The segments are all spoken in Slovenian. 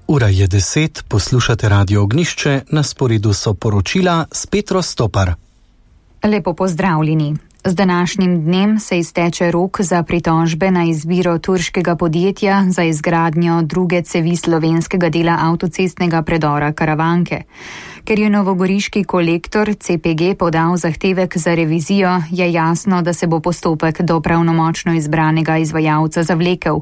Ura je 10, poslušate Radio Ognišče, na sporedu so poročila s Petro Stopar. Lepo pozdravljeni. Z današnjim dnem se izteče rok za pritožbe na izbiro turškega podjetja za izgradnjo druge cevi slovenskega dela avtocestnega predora Karavanke. Ker je novogoriški kolektor CPG podal zahtevek za revizijo, je jasno, da se bo postopek do pravnomočno izbranega izvajalca zavlekel.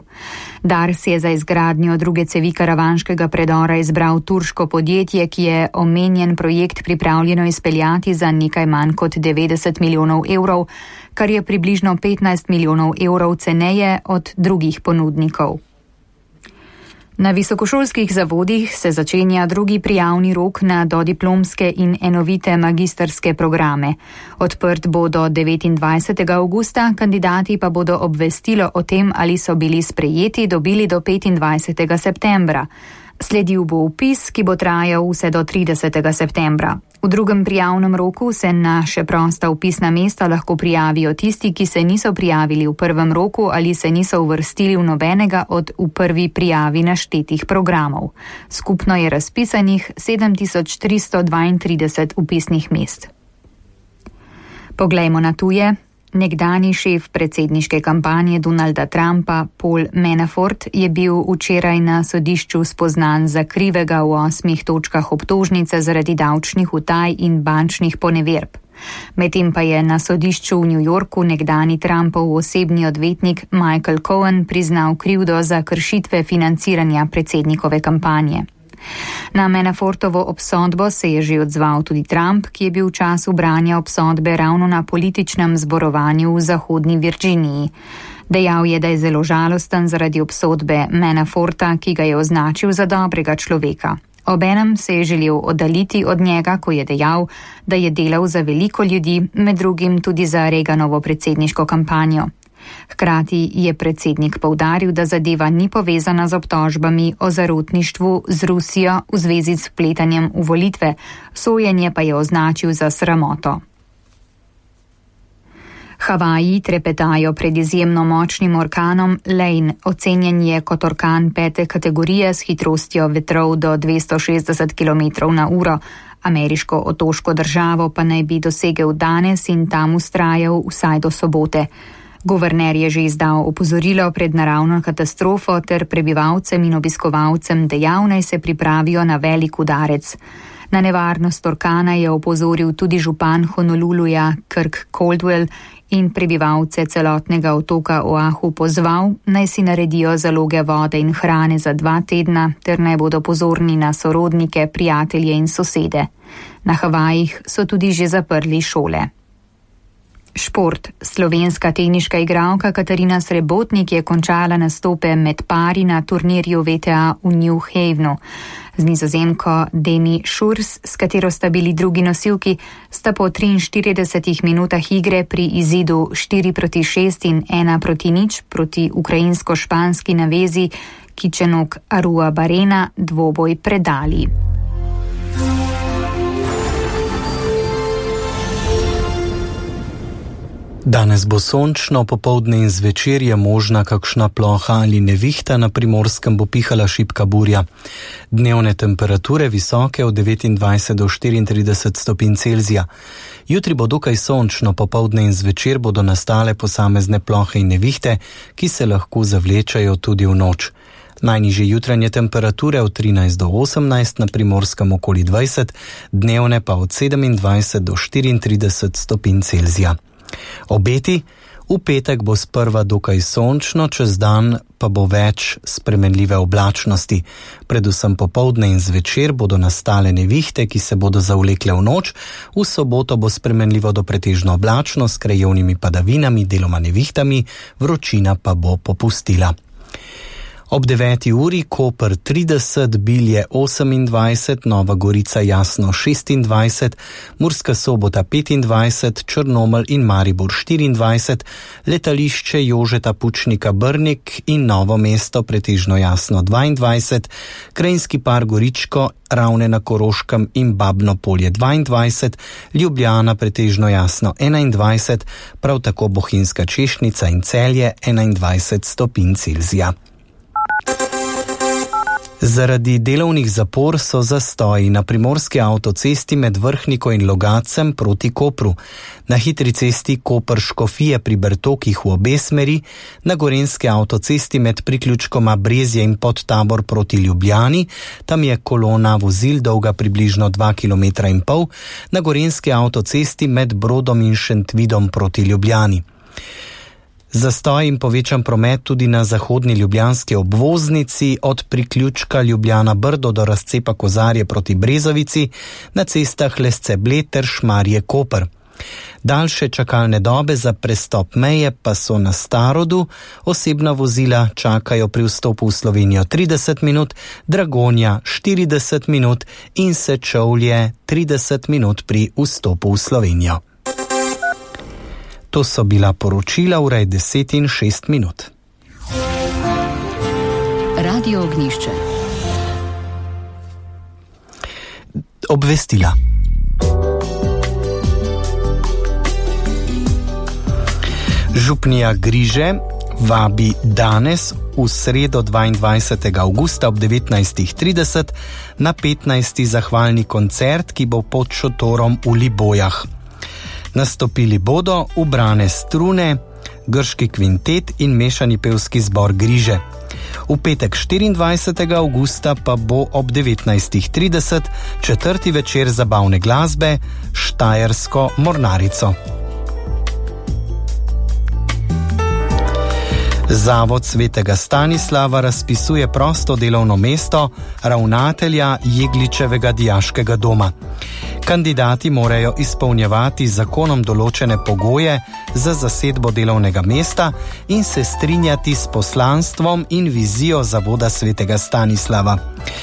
Dars je za izgradnjo druge cevi karavanškega predora izbral turško podjetje, ki je omenjen projekt pripravljeno izpeljati za nekaj manj kot 90 milijonov evrov, kar je približno 15 milijonov evrov ceneje od drugih ponudnikov. Na visokošolskih zavodih se začenja drugi prijavni rok na dodiplomske in enovite magistrske programe. Odprt bo do 29. avgusta, kandidati pa bodo obvestilo o tem, ali so bili sprejeti, dobili do 25. septembra. Sledil bo vpis, ki bo trajal vse do 30. septembra. V drugem prijavnem roku se na še prosta vpisna mesta lahko prijavijo tisti, ki se niso prijavili v prvem roku ali se niso uvrstili v nobenega od v prvi prijavi naštetih programov. Skupno je razpisanih 7332 vpisnih mest. Poglejmo na tuje. Nekdani šef predsedniške kampanje Donalda Trumpa, Paul Manafort, je bil včeraj na sodišču spoznan za krivega v 8 točkah obtožnice zaradi davčnih utaj in bančnih poneverb. Medtem pa je na sodišču v New Yorku nekdani Trumpov osebni odvetnik Michael Cohen priznal krivdo za kršitve financiranja predsednikove kampanje. Na Manafortovo obsodbo se je že odzval tudi Trump, ki je bil v času branja obsodbe ravno na političnem zborovanju v zahodni Virginiji. Dejal je, da je zelo žalosten zaradi obsodbe Manaforta, ki ga je označil za dobrega človeka. Obenem se je želel oddaljiti od njega, ko je dejal, da je delal za veliko ljudi, med drugim tudi za Reaganovo predsedniško kampanjo. Hkrati je predsednik poudaril, da zadeva ni povezana z obtožbami o zarotništvu z Rusijo v zvezi s vpletanjem v volitve, sojenje pa je označil za sramoto. Havaji trepetajo pred izjemno močnim orkanom Lane, ocenjen je kot orkan 5. kategorije s hitrostjo vetrov do 260 km/h. Ameriško otoško državo pa naj bi dosegel danes in tam vztrajal vsaj do sobote. Guverner je že izdal opozorilo pred naravno katastrofo ter prebivalcem in obiskovalcem dejal, naj se pripravijo na velik udarec. Na nevarnost orkana je opozoril tudi župan Honoluluja Kirk Caldwell in prebivalce celotnega otoka Oahu pozval, naj si naredijo zaloge vode in hrane za 2 tedna ter naj bodo pozorni na sorodnike, prijatelje in sosede. Na Havajih so tudi že zaprli šole. Šport. Slovenska teniška igralka Katarina Srebotnik je končala nastope med pari na turnirju WTA v New Havenu. Z Nizozemko Demi Šurs, s katero sta bili drugi nosilki, sta po 43 minutah igre pri izidu 4-6 in 1-0 proti ukrajinsko-španski navezi Kičenok Arua Barena dvoboj predali. Danes bo sončno, popoldne in zvečer je možna kakšna ploha ali nevihta, na Primorskem bo pihala šibka burja. Dnevne temperature visoke od 29 do 34 stopinj Celzija. Jutri bo dokaj sončno, popoldne in zvečer bodo nastale posamezne plohe in nevihte, ki se lahko zavlečajo tudi v noč. Najnižje jutranje temperature od 13 do 18, na Primorskem okoli 20, dnevne pa od 27 do 34 stopinj Celzija. Obeti. V petek bo sprva dokaj sončno, čez dan pa bo več spremenljive oblačnosti. Predvsem popoldne in zvečer bodo nastale nevihte, ki se bodo zavlekle v noč. V soboto bo spremenljivo do pretežno oblačno s krajevnimi padavinami, deloma nevihtami, vročina pa bo popustila. Ob 9. uri Koper 30, Bilje 28, Nova Gorica jasno 26, Murska Sobota 25, Črnomelj in Maribor 24, letališče Jožeta Pučnika Brnik in Novo mesto pretežno jasno 22, Krajinski par Goričko, Ravne na Koroškem in Babno Polje 22, Ljubljana pretežno jasno 21, prav tako Bohinjska Češnica in Celje 21 stopinj Celzija. Zaradi delovnih zapor so zastoji na primorski avtocesti med Vrhniko in Logacem proti Kopru, na hitri cesti Koper-Škofije pri Bertokih v obe smeri, na gorenski avtocesti med priključkoma Brezje in Podtabor proti Ljubljani, tam je kolona vozil dolga približno 2,5 km, na gorenski avtocesti med Brodom in Šentvidom proti Ljubljani. Zastoj in povečan promet tudi na zahodni ljubljanski obvoznici od priključka Ljubljana-Brdo do razcepa Kozarje proti Brezovici, na cestah Lesce-Bled ter Šmarje-Koper. Daljše čakalne dobe za prestop meje pa so na Starodu, osebna vozila čakajo pri vstopu v Slovenijo 30 minut, Dragonja 40 minut in Sečovlje 30 minut pri vstopu v Slovenijo. To so bila poročila, ura je 10:06. Radio Ognjišče. Obvestila. Župnija Griže vabi danes v sredo 22. avgusta ob 19:30 na 15. zahvalni koncert, ki bo pod šotorom v Libojah. Nastopili bodo Ubrane strune, Grški kvintet in mešani pevski zbor Griže. V petek 24. avgusta pa bo ob 19:30 četrti večer zabavne glasbe Štajersko mornarico. Zavod Svetega Stanislava razpisuje prosto delovno mesto ravnatelja Jegličevega dijaškega doma. Kandidati morajo izpolnjevati z zakonom določene pogoje za zasedbo delovnega mesta in se strinjati s poslanstvom in vizijo Zavoda Svetega Stanislava.